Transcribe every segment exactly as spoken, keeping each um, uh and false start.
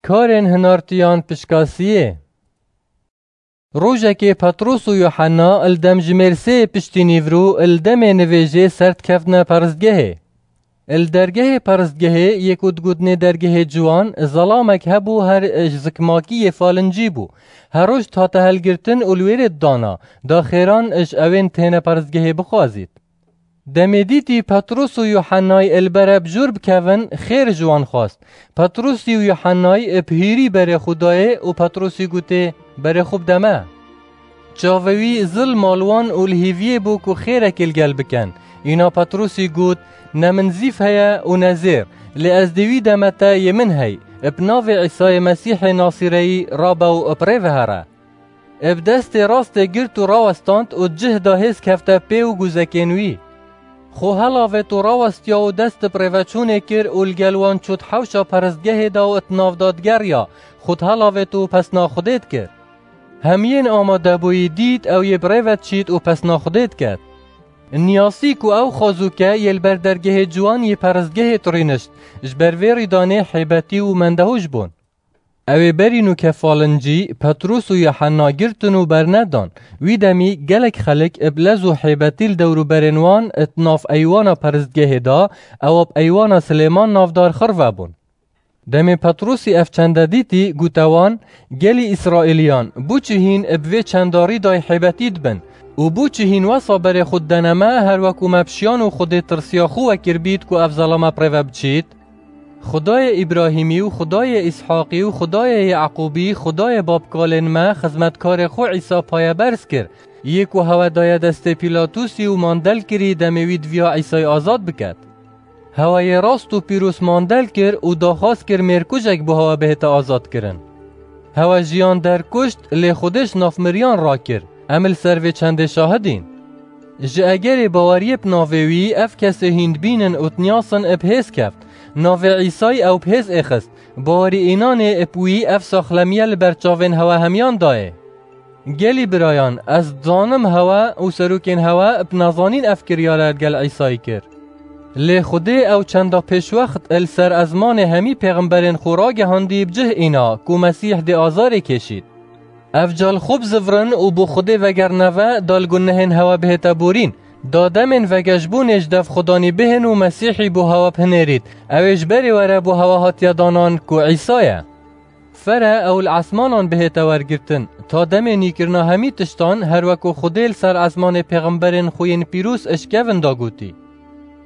Karên hinartiyan pişkasiyê. Rojekê Petros û Yuhanna li dem jimêr sê piştî nîvro li demê nivêjê ser dikevtine peristgehê. Li dergehê peristgehê yê ku digotinê dergehê ciwan, zelamek hebû, her ji zikmakî yê falincî bû. Her roj dihate helgirtin û li wêrê didana, da xêran ji ewên têne peristgehê bixwazît. Demê dîtî Petros û Yuhennay li bere bi jor bikevin, xêr ji wan xwest. Petrosî û Yuhennay bi hîrî berê xwe dayê û Petrosî gotê, "Berê xwe bide me." Çavê wî zil ma li wan û li hêviyê bû ku xêrekê li gel bikin. Îna Petrosî got, "Ne min zîv heye û ne zêr, lê ez dê wî deme te yê min hey, bi navê Îsayê Mesîhê Nasîreyî rabe û bi rê ve here." Bi destê rastê girt û rawestand û cih da hêz kefte pê û guzekên wî. Xwe helavêt û rawestiya û dest bi rêveçûnê kir û li gel wan çût hewşa peristgehê de û di nav de digeriya, xwe dihelavêt û pesna Xwedê dikir. Hemiyên amadebûyî dît ew yê bi rê ve diçît û pesna Xwedê diket. Niyasî ku ew xwezûke yê li ber dergehê ciwan yê peristgehê dirînişt, ji ber vê rîdanê hêbetî û mendehûş bûn. Ew ê berî nûke falincî Petrûs û Yuhenna girtin û bernedan. Wî demî gelek xelk bi lez û hêbetî li dewrûberên wan di nav eywana peristgehê de, ewa bi eywana Silêman navdar xirve bûn. Demê Petrûsî ev çende dîtî, gote wan, "Gelî Îsraîliyan, bo çi hîn bi vê çenda rîdayê hêbetî dibin? Û bo çi hîn wesa berê xwe didene me, her wek ku me bi şiyan û Xwedê tirsiya xwe wekir bît ku ev zelame bi rê ve biçît?" Xwedayê Îbrahîmî û Xwedayê Îshaqî û Xwedayê Yaqûbî, Xwedayê babkalên me, xizmetkarê xwe Îsa payeberz kir, yê ku hewe daye destê Pîlatûsî û mandel kirî, demê wî diviya Îsayê azad biket. Hewe yê rast û pîroz mandel kir û daxwaz kir mêrkujek bo hewe bihête azadkirin. Hewe jiyan derkuşt, lê Xwedê ji nav miriyan rakir. Em li ser vê çendê şahid în. Ji egerê baweriyê bi navê wî ev kesê hîn dibînin û dinyasin, bi hêz keft. Navê Îsayî ew bi hêz êxist. Bawerî înanê bi wî ev saxlemiye li ber çavên hewe hemiyan dayê. Gelî birayan, ez dizanim hewe û serokên hewe bi nezanîn ev kiryare li gel Îsayî kir. Lê Xwedê ew çenda pêşwext li ser ezmanê hemî pêxemberên xwe ragihandî bi cih îna ku Mesîh dê azarê kêşît. Ev ca li xwe bizivirin û bo Xwedê vegerine ve, da li gunehên hewe bihête borîn, da demên vegeşbûnê ji dev Xwedanî bihên û Mesîhî bo hewe bihinêrît, ew ê ji berê were bo hewe hatiye danan ku Îsa ye. Fere ew li esmanan bihête wergirtin, ta demê nîkirina hemî tiştan, her wek ku Xwedê li ser esmanê pêxemberên xwe yên pîroz eşkevin da gotî.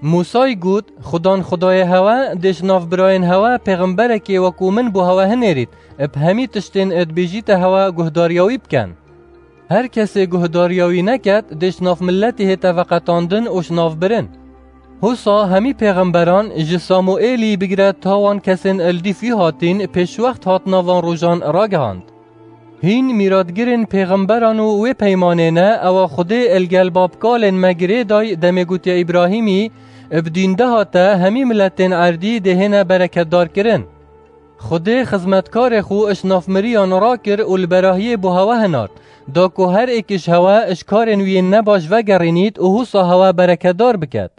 Mûsayî got, Xudan Xwedayê hewe dê ji nav birayên hewe pêxemberekê wekû min bo hewe hinêrît, bi hemî tiştên dibêjîte hewe guhdariya wî bikin. Her kesê guhdariya wî neket, dê ji nav miletê hête veqetandin û ji nav birin. Hosa hemî pêxemberan ji Samuêlî bigire ta wan kesên li dîf wî hatîn pêşwext hatina van rojan ragihand. Hîn mîratgirên pêxemberan û wê peymanê ne, ewa Xwedê li gel babkalên me girê day demê gotiye Îbrahîmî, bi dîn de hate hemî miletên erdî dê hêne bereketdar kirin. Xwedê xizmetkarê xwe ji nav miriyan rakir û li berahiyê bo hewe hinart, da ku her êk ji hewe ji karên wî yên nebaş vegerînît û hosa hewe bereketdar biket.